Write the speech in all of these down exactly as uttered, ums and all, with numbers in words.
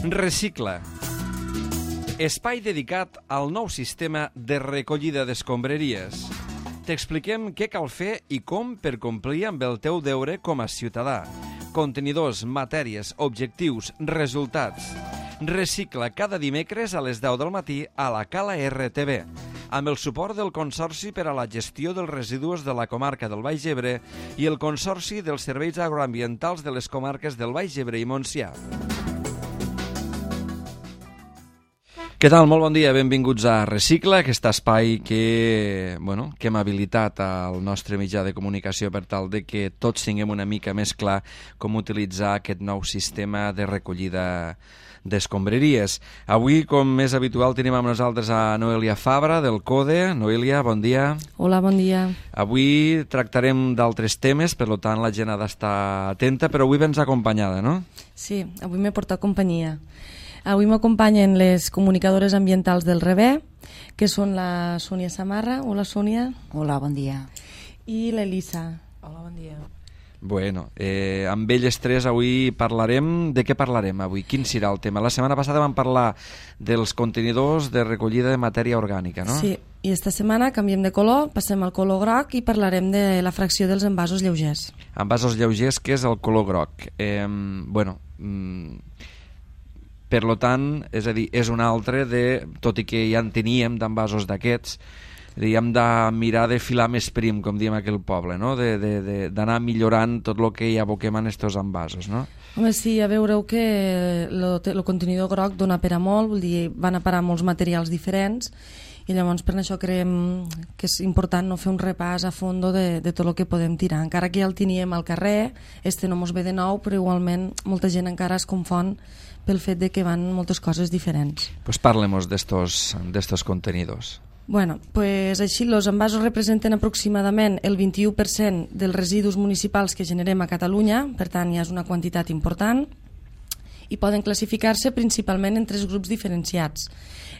Recicla. Espai dedicat al nou sistema de recollida d'escombraries. T'expliquem què cal fer i com per complir amb el teu deure com a ciutadà. Contenidors, matèries, objectius, resultats. Recicla cada dimecres a les deu del matí a la Cala R T V, amb el suport del Consorci per a la Gestió dels Residus de la Comarca del Baix Ebre i el Consorci dels Serveis Agroambientals de les comarques del Baix Ebre i Montsià. Què tal? Molt bon dia, benvinguts a Recicla, aquest espai que, bueno, que hem habilitat al nostre mitjà de comunicació per tal de que tots tinguem una mica més clar com utilitzar aquest nou sistema de recollida d'escombraries. Avui, com és habitual, tenim amb nosaltres a Noelia Fabra, del CODE. Noelia, bon dia. Hola, bon dia. Avui tractarem d'altres temes, per tant la gent ha d'estar atenta, però avui vens acompanyada, no? Sí, avui m'he portat companyia. Avui m'acompanyen les comunicadores ambientals del R E B E, que són la Sònia Samarra. Hola, Sònia. Hola, bon dia. I l'Elisa. Hola, bon dia. Bueno, eh, amb elles tres avui parlarem... De què parlarem avui? Quin serà el tema? La setmana passada vam parlar dels contenidors de recollida de matèria orgànica, no? Sí, i esta setmana canviem de color, passem al color groc i parlarem de la fracció dels envasos lleugers. Envasos lleugers, que és el color groc. Eh, bueno... Mm, Per lo tant, és a dir, és un altre de, tot i que ja en teníem d'envasos d'aquests, hem de mirar de filar més prim, com diem aquell poble, no? D'anar millorant tot el que hi aboquem en aquests envasos, no? Home, sí, ja veureu que el contenidor groc dona per a molt, vull dir, van a parar molts materials diferents, i llavors per això creiem que és important no fer un repàs a fondo de, de tot el que podem tirar. Encara que ja el teníem al carrer, este no mos ve de nou, però igualment molta gent encara es confon pel fet de que van moltes coses diferents. Pues parlem-nos d'estos contenidors. Bueno, pues així, els envasos representen aproximadament el vint-i-u per cent dels residus municipals que generem a Catalunya, per tant ja és una quantitat important, i poden classificar-se principalment en tres grups diferenciats.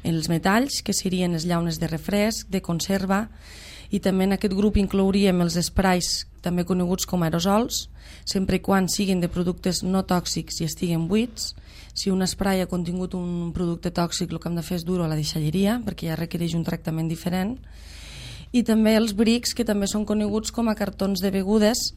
Els metalls, que serien les llaunes de refresc, de conserva, i també en aquest grup inclouríem els esprais, també coneguts com aerosols, sempre i quan siguin de productes no tòxics i estiguen buits. Si un spray ha contingut un producte tòxic, el que hem de fer és dur-ho a la deixalleria, perquè ja requereix un tractament diferent. I també els brics, que també són coneguts com a cartons de begudes,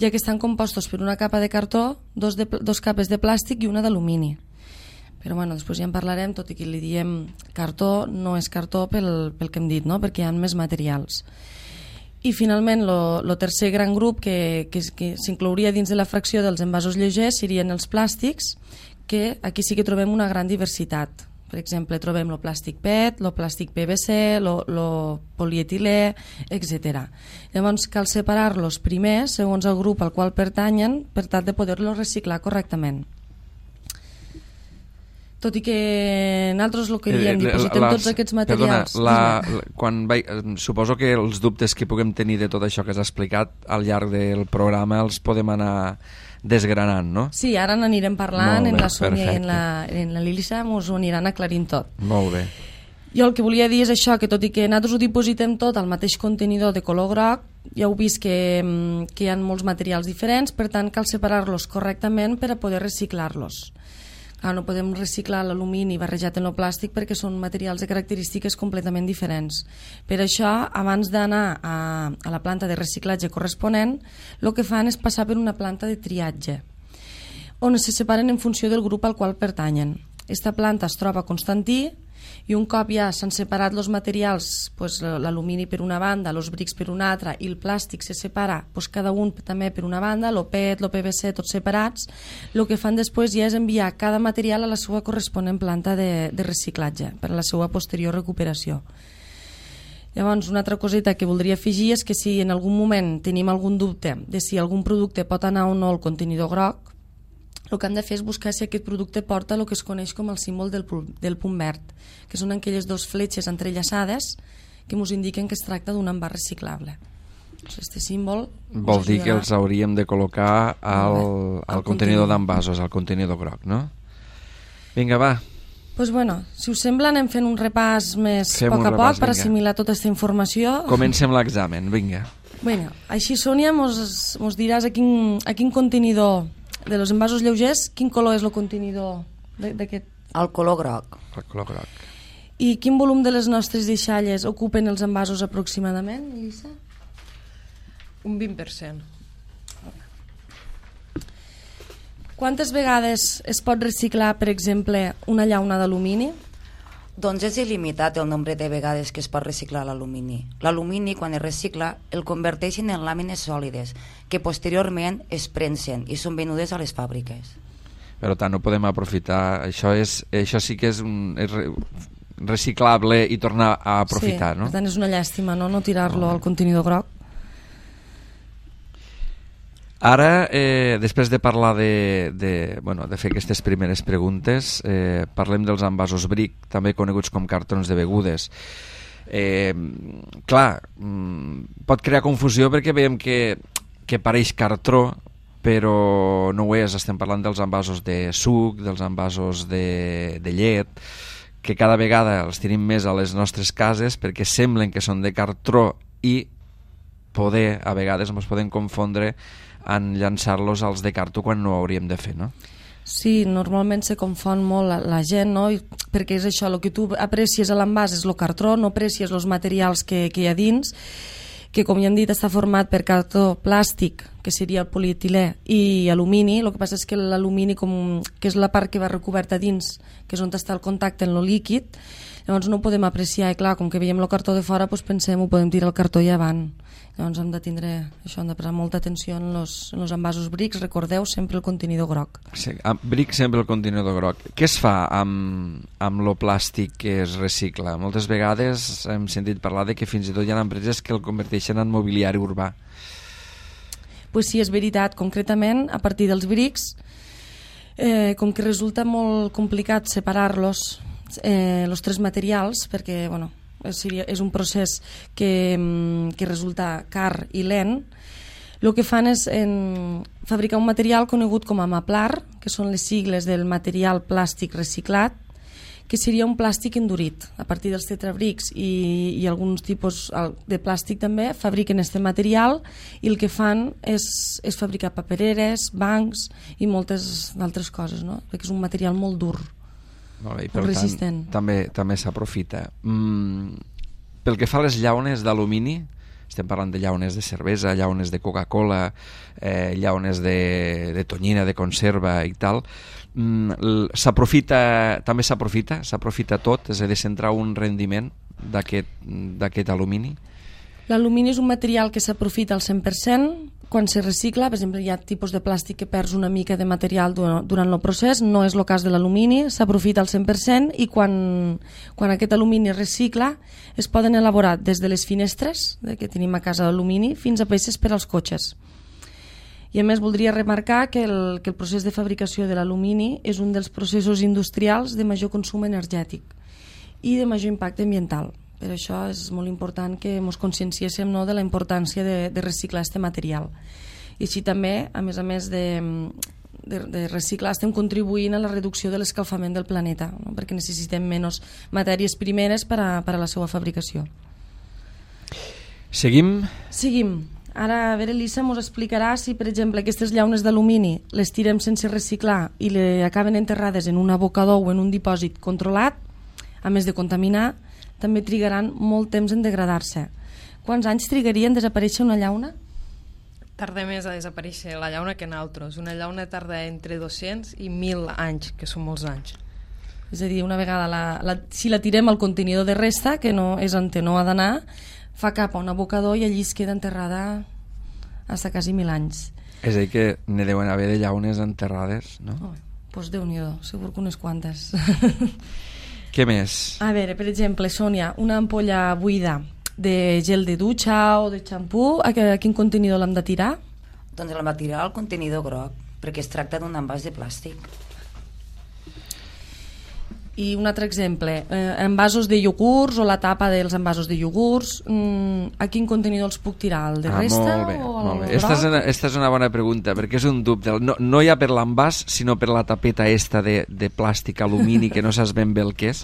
ja que estan compostos per una capa de cartó, dos, de, dos capes de plàstic i una d'alumini. Però bueno, després ja en parlarem, tot i que li diem cartó, no és cartó pel, pel que hem dit, no? Perquè hi ha més materials. I finalment, el tercer gran grup que, que, que s'inclouria dins de la fracció dels envasos lleugers serien els plàstics, que aquí sí que trobem una gran diversitat. Per exemple, trobem el plàstic P E T, el plàstic P V C, el polietilè, etcètera. Llavors cal separar-los primer segons el grup al qual pertanyen per tal de poder-los reciclar correctament. Tot i que nosaltres el que diem, dipositem tots aquests materials... Perdona, la, la, quan vaig, suposo que els dubtes que puguem tenir de tot això que has explicat al llarg del programa els podem anar desgranant, no? Sí, ara n'anirem parlant, bé, en la Sònia i en la, perfecte. en la Lilisa ens ho aniran aclarint tot. Molt bé. Jo el que volia dir és això, que tot i que nosaltres ho dipositem tot al mateix contenidor de color groc, ja heu vist que, que hi ha molts materials diferents, per tant cal separar-los correctament per a poder reciclar-los. Clar, no podem reciclar l'alumini barrejat en el plàstic perquè són materials de característiques completament diferents. Per això, abans d'anar a, a la planta de reciclatge corresponent, el que fan és passar per una planta de triatge, on se separen en funció del grup al qual pertanyen. Esta planta es troba a Constantí, i un cop ja s'han separat els materials, pues, l'alumini per una banda, els brics per una altra, i el plàstic se separa, pues, cada un també per una banda, el P E T, el P V C, tots separats, el que fan després ja és enviar cada material a la seva corresponent planta de, de reciclatge, per a la seva posterior recuperació. Llavors, una altra coseta que voldria afegir és que si en algun moment tenim algun dubte de si algun producte pot anar o no al contenidor groc, el que hem de fer és buscar si aquest producte porta el que es coneix com el símbol del, del punt verd, que són aquelles dues fletxes entrellaçades que ens indiquen que es tracta d'un envàs reciclable. Este símbol vol dir que els hauríem de col·locar al, al contenidor d'envasos, al contenidor groc, no? Vinga, va. Doncs bueno, si us sembla anem fent un repàs més Fem poc a repàs, poc per vinga. assimilar tota aquesta informació. Comencem l'examen, vinga. Bueno, així, Sònia, mos diràs a quin, a quin contenidor de los envasos lleugers, quin color és el contenidor d'aquest... El color groc. El color groc. I quin volum de les nostres deixalles ocupen els envasos aproximadament, Elisa? Un vint per cent. Quantes vegades es pot reciclar, per exemple, una llauna d'alumini? Doncs és il·limitat el nombre de vegades que es pot reciclar l'alumini. L'alumini, quan es recicla, el converteixen en làmines sòlides, que posteriorment es premsen i són venudes a les fàbriques. Per tant, no podem aprofitar. Això, és, això sí que és, un, és reciclable i tornar a aprofitar, sí, no? Per tant, és una llàstima, no, no tirar-lo al contenidor groc. Ara, eh, després de parlar de, de, bueno, de fer aquestes primeres preguntes, eh, parlem dels envasos bric, també coneguts com cartons de begudes. Eh, clar, pot crear confusió perquè veiem que, que pareix cartró, però no ho és. Estem parlant dels envasos de suc, dels envasos de, de llet, que cada vegada els tenim més a les nostres cases perquè semblen que són de cartró i poder, a vegades ens podem confondre en llançar-los als de cartó quan no ho hauríem de fer, no? Sí, normalment se confon molt la, la gent, no? I, perquè és això, el que tu aprecies a l'envàs és el cartró, no aprecies els materials que, que hi ha dins, que com ja hem dit està format per cartó plàstic, que seria el polietilè, i alumini. El que passa és que l'alumini, com, que és la part que va recoberta dins, que és on està el contacte en el líquid, llavors no ho podem apreciar, i clar, com que veiem el cartó de fora, doncs pensem, ho podem tirar el cartó i avant. Llavors hem de tindre això, hem de prestar molta atenció en els, en els envasos brics. Recordeu sempre el contenidor groc. Sí, bric sempre el contenidor groc. Què es fa amb, amb lo plàstic que es recicla? Moltes vegades hem sentit parlar de que fins i tot hi ha empreses que el converteixen en mobiliari urbà. Pues sí, és veritat. Concretament, a partir dels brics, eh, com que resulta molt complicat separar-los, eh, els tres materials, perquè, bueno, és un procés que, que resulta car i lent, el que fan és en fabricar un material conegut com a Maplar, que són les sigles del material plàstic reciclat, que seria un plàstic endurit. A partir dels tetrabrics i, i alguns tipus de plàstic també fabriquen aquest material i el que fan és, és fabricar papereres, bancs i moltes altres coses, no? Perquè és un material molt dur. Molt bé, i per tant, també, també s'aprofita. Mm, pel que fa a les llaunes d'alumini, estem parlant de llaunes de cervesa, llaunes de Coca-Cola, eh, llaunes de, de tonyina, de conserva i tal, mm, s'aprofita, també s'aprofita, s'aprofita tot, és a dir, s'entra un rendiment d'aquest alumini? L'alumini és un material que s'aprofita al cent per cent quan se recicla. Per exemple, hi ha tipus de plàstic que perds una mica de material durant el procés, no és el cas de l'alumini, s'aprofita al cent per cent i quan, quan aquest alumini es recicla es poden elaborar des de les finestres que tenim a casa d'alumini fins a peces per als cotxes. I a més voldria remarcar que el, que el procés de fabricació de l'alumini és un dels processos industrials de major consum energètic i de major impacte ambiental. Per això és molt important que ens conscienciéssim, no, de la importància de, de reciclar aquest material. I així també, a més a més de, de, de reciclar, estem contribuint a la reducció de l'escalfament del planeta, no? Perquè necessitem menys matèries primeres per a, per a la seva fabricació. Seguim? Seguim. Ara, a veure, Elisa ens explicarà si, per exemple, aquestes llaunes d'alumini les tirem sense reciclar i le acaben enterrades en un abocador o en un dipòsit controlat, a més de contaminar, també trigaran molt temps en degradar-se. Quants anys trigaria en desaparèixer una llauna? Tarda més a desaparèixer la llauna que nosaltres. Una llauna tarda entre dos-cents i mil anys, que són molts anys. És a dir, una vegada, la, la, si la tirem al contenidor de resta, que no és on no ha d'anar, fa cap a un abocador i allí es queda enterrada fins a quasi mil anys. És a dir, que n'hi deuen haver de llaunes enterrades, no? Oh, doncs Déu-n'hi-do, segur que unes quantes. Què més? A veure, per exemple, Sònia, una ampolla buida de gel de dutxa o de xampú, a quin contenidor l'hem de tirar? Doncs l'hem de tirar al contenidor groc, perquè es tracta d'un envàs de plàstic. I un altre exemple, eh, envasos de iogurts o la tapa dels envasos de iogurts, mm, a quin contenidor els puc tirar? El de ah, resta molt bé, o el molt bé. Esta és, una, esta és una bona pregunta, perquè és un dubte. No, no ja per l'envàs, sinó per la tapeta esta de, de plàstic, alumini, que no saps ben bé el que és.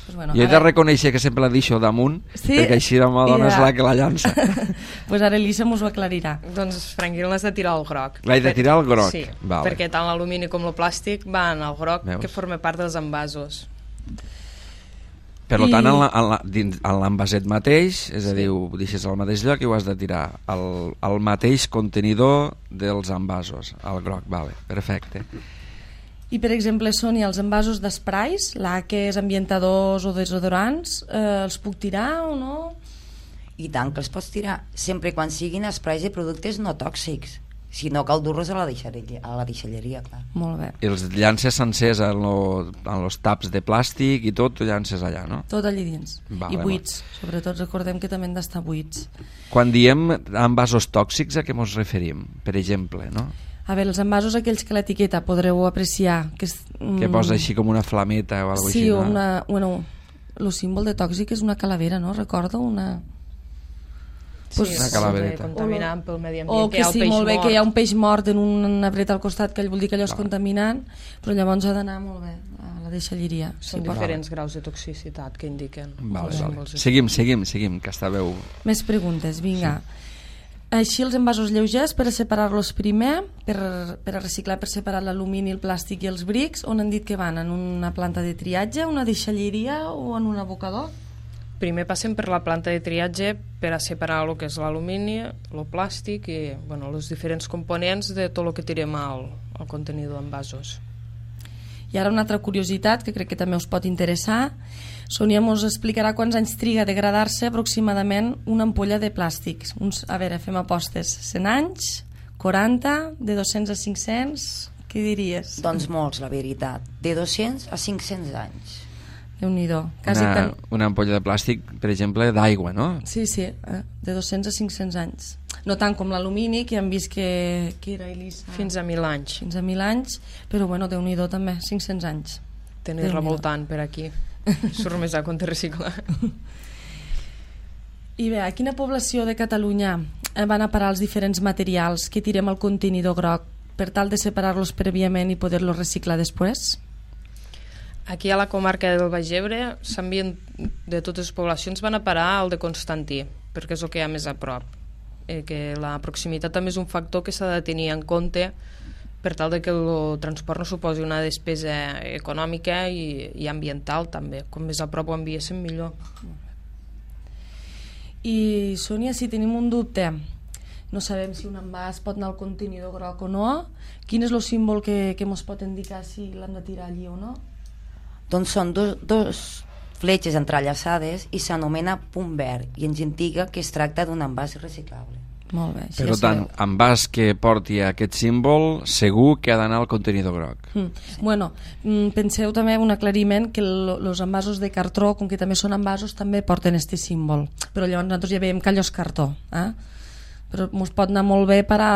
Pues bueno, jo he de reconèixer que sempre la deixo damunt, sí? perquè així la meva dona és la que la llança. Pues ara Elisa mos ho aclarirà. Doncs, Franquil, l'has de tirar al groc. L'he de tirar al groc? Sí, vale. perquè tant l'alumini com el plàstic van al groc, Veus? que forma part dels envasos. Per I... tant, en, la, en, la, dins, en l'envaset mateix, és a dir, ho deixes al mateix lloc i ho has de tirar al, al mateix contenidor dels envasos, al groc, vale, perfecte. I, per exemple, Sònia, els envasos d'esprais, laques, ambientadors o desodorants, eh, els puc tirar o no? I tant que els pots tirar, sempre quan siguin esprais de productes no tòxics. Si no, cal dur-los a la deixalleria, a la deixalleria, clar. Molt bé. I els llances sencers en, lo, en los taps de plàstic i tot, ho llances allà, no? Tot allí dins. Vale, I buits. Sobretot recordem que també han d'estar buits. Quan diem envasos tòxics, a què ens referim? Per exemple, no? A veure, els envasos aquells que l'etiqueta podreu apreciar que, és, mm, Que posa així com una flameta o alguna cosa sí, així, no? una, bueno, el símbol de tòxic és una calavera, no? Recordo una... Sí, Pues, una calavereta. Contaminant pel medi ambient, o que que hi ha el sí, peix molt bé, mort. que hi ha un peix mort en un arbre al costat, que vol dir que allò és Clar. contaminant, però llavors ha d'anar molt bé a la deixalleria. Són Sí, pot- diferents graus de toxicitat que indiquen. Vale, els vale. símbols. Seguim, seguim, seguim, que estàveu... Més preguntes, vinga. Així els envasos lleugers, per a separar-los primer, per, per a reciclar, per separar l'alumini, el plàstic i els brics, on han dit que van? En una planta de triatge, una deixalleria o en un abocador? Primer passem per la planta de triatge per a separar el que és l'alumini, el plàstic i bueno, els diferents components de tot el que tirem al, al contenidor d'envasos. I ara una altra curiositat que crec que també us pot interessar. Sònia mos explicarà quants anys triga a degradar-se aproximadament una ampolla de plàstics. Uns, a veure, fem apostes. cent anys? quaranta? De dos-cents a cinc-cents? Què diries? Doncs molts, la veritat. De dos-cents a cinc-cents anys. Déu-n'hi-do. Quasi Una, tan... una ampolla de plàstic, per exemple, d'aigua, no? Sí, sí, eh? de dos-cents a cinc-cents anys. No tant com l'alumini, que hem vist que, que era Elisa. Fins a mil anys. Fins a mil anys, però bueno, Déu-n'hi-do també, cinc-cents anys. Tenir revoltant per aquí. Surt més a compte reciclar. I bé, a quina població de Catalunya van a parar els diferents materials que tirem al contenidor groc per tal de separar-los prèviament i poder-los reciclar després? Aquí a la comarca del Baix Ebre s'envien de totes les poblacions, van a parar al de Constantí, perquè és el que hi ha més a prop. Eh, que la proximitat també és un factor que s'ha de tenir en compte per tal de que el transport no suposi una despesa econòmica i, i ambiental també. Com més a prop ho enviéssim, millor. I, Sònia, si tenim un dubte, no sabem si un envàs pot anar al contenidor groc o no, quin és el símbol que, que ens pot indicar si l'hem de tirar allí o no? Doncs són dos, dos fletxes entrellaçades i s'anomena punt verd i ens indica que es tracta d'un envàs reciclable. Molt bé. Per tant, envàs que porti aquest símbol segur que ha d'anar al contenidor groc. Mm. Sí. Bueno, mm, penseu també un aclariment que els envasos de cartró, com que també són envasos, també porten este símbol. Però llavors nosaltres ja veiem que allò és cartó. Eh? Però ens pot anar molt bé per a...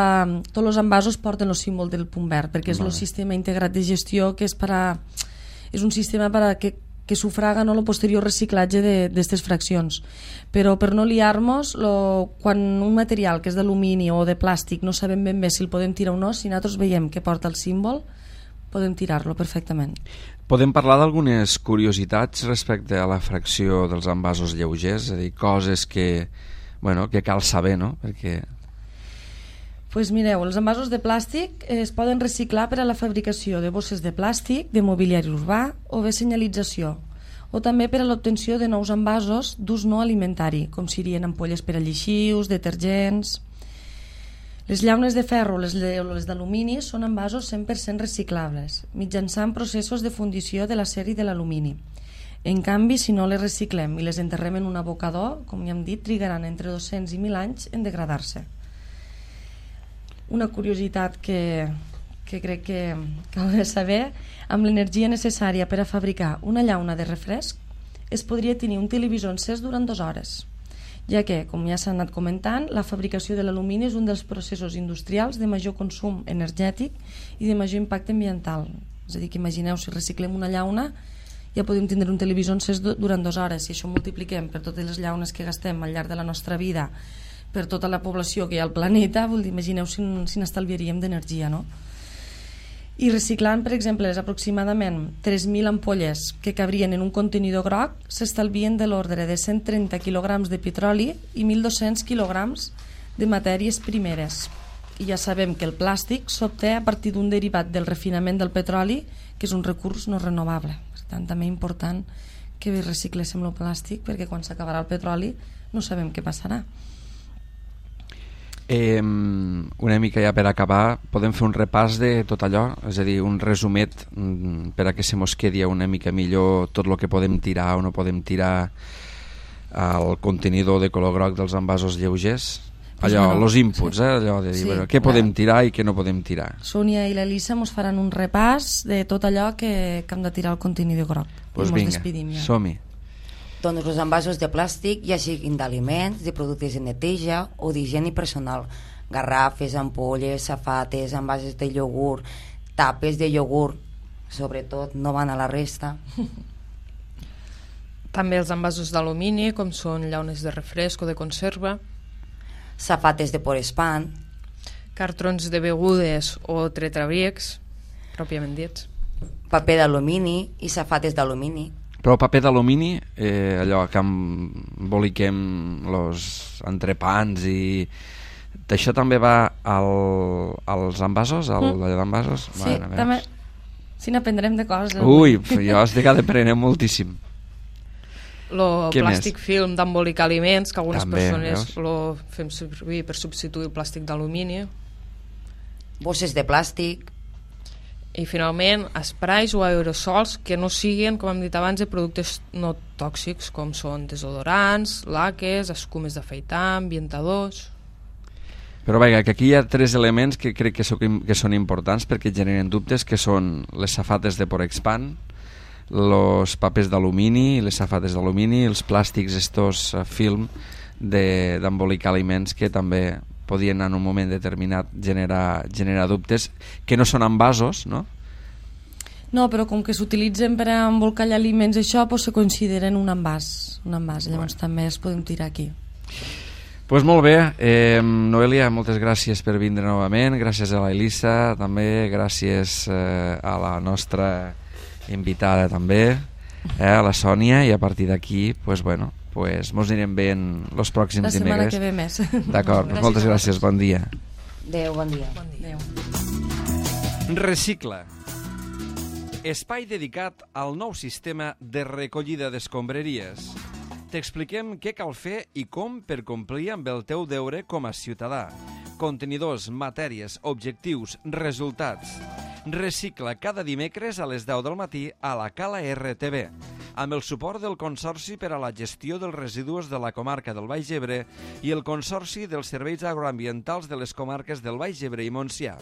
Tots els envasos porten el símbol del punt verd, perquè és el sistema integrat de gestió que és per a... és un sistema per a que, que sufraga no, el posterior reciclatge d'aquestes fraccions. Però per no liar-nos, quan un material que és d'alumini o de plàstic no sabem ben bé si el podem tirar o no, si nosaltres veiem que porta el símbol, podem tirar-lo perfectament. Podem parlar d'algunes curiositats respecte a la fracció dels envasos lleugers, és a dir, coses que, bueno, que cal saber, no? Perquè... Pues mireu, els envasos de plàstic es poden reciclar per a la fabricació de bosses de plàstic, de mobiliari urbà o bé senyalització, o també per a l'obtenció de nous envasos d'ús no alimentari, com serien ampolles per a lleixius, detergents... Les llaunes de ferro o les, les d'alumini són envasos cent per cent reciclables, mitjançant processos de fundició de l'acer i de l'alumini. En canvi, si no les reciclem i les enterrem en un abocador, com ja hem dit, trigaran entre dos-cents i mil anys en degradar-se. Una curiositat que, que crec que cal saber, amb l'energia necessària per a fabricar una llauna de refresc es podria tenir un televisor encès durant dues hores, ja que, com ja s'ha anat comentant, la fabricació de l'alumini és un dels processos industrials de major consum energètic i de major impacte ambiental. És a dir, que imagineu, si reciclem una llauna ja podem tindre un televisor encès durant dues hores. Si això multipliquem per totes les llaunes que gastem al llarg de la nostra vida, per tota la població que hi ha al planeta, vol dir, imagineu si, si n'estalviaríem d'energia, no? I reciclant, per exemple, les aproximadament tres mil ampolles que cabrien en un contenidor groc, s'estalvien de l'ordre de cent trenta quilograms de petroli i mil dos-cents quilograms de matèries primeres. I ja sabem que el plàstic s'obté a partir d'un derivat del refinament del petroli, que és un recurs no renovable. Per tant, també és important que recicléssim el plàstic, perquè quan s'acabarà el petroli no sabem què passarà. Eh, una mica ja per acabar, podem fer un repàs de tot allò, és a dir, un resumet per a que se mos quedi una mica millor tot el que podem tirar o no podem tirar al contenidor de color groc dels envasos lleugers. Allò, bueno, los inputs, sí. eh? Allò de dir, Sí, bueno, què clar. podem tirar i què no podem tirar. Sònia i l'Elisa ens faran un repàs de tot allò que, que hem de tirar al contenidor groc. Pues I mos vinga, despedim ja. som-hi. Doncs els envasos de plàstic, ja siguin d'aliments, de productes de neteja o d'higiene personal, garrafes, ampolles, safates, envasos de iogurt, tapes de iogurt, sobretot no van a la resta. També els envasos d'alumini, com són llaunes de refresc o de conserva, Safates de porespan, cartrons de begudes o tetrabrics, pròpiament dits. paper d'alumini i safates d'alumini. Però paper d'alumini, eh, allò que emboliquem los entrepans i... Això també va al, als envasos, al Mm. allò d'envasos? Sí, Bueno, veus. també. Si n'aprendrem de coses. Ui, jo estic d'aprendre moltíssim. Lo Què plàstic film d'embolicar aliments, que algunes També, persones veus? lo fem servir per substituir el plàstic d'alumini. Bosses de plàstic, I finalment, esprais o aerosols que no siguin, com hem dit abans, de productes no tòxics, com són desodorants, laques, escumes d'afaitar, ambientadors... Però vaja, que aquí hi ha tres elements que crec que, so, que són importants perquè generen dubtes, que són les safates de Porexpan, els papers d'alumini, les safates d'alumini, els plàstics estos uh, film d'embolicar aliments, que també podien en un moment determinat generar, generar dubtes, que no són envasos, no? No, però com que s'utilitzen per a embolcallar aliments, això pues, se consideren un envàs. Un envàs, llavors Bueno. també es podem tirar aquí. Pues molt bé, eh, Noelia, moltes gràcies per vindre novament, gràcies a la Elisa, també gràcies eh, a la nostra invitada també, eh, a la Sònia, i a partir d'aquí, pues bueno, pues mos anirem veient els pròxims La setmana dimecres. que ve més. D'acord, Gràcies moltes a gràcies, bon dia. Adéu, bon dia. Adéu. Recicla. Espai dedicat al nou sistema de recollida d'escombraries. T'expliquem què cal fer i com per complir amb el teu deure com a ciutadà. Contenidors, matèries, objectius, resultats. Recicla cada dimecres a les deu del matí a la Cala R T V, amb el suport del Consorci per a la Gestió dels Residus de la Comarca del Baix Ebre i el Consorci dels Serveis Agroambientals de les Comarques del Baix Ebre i Montsià.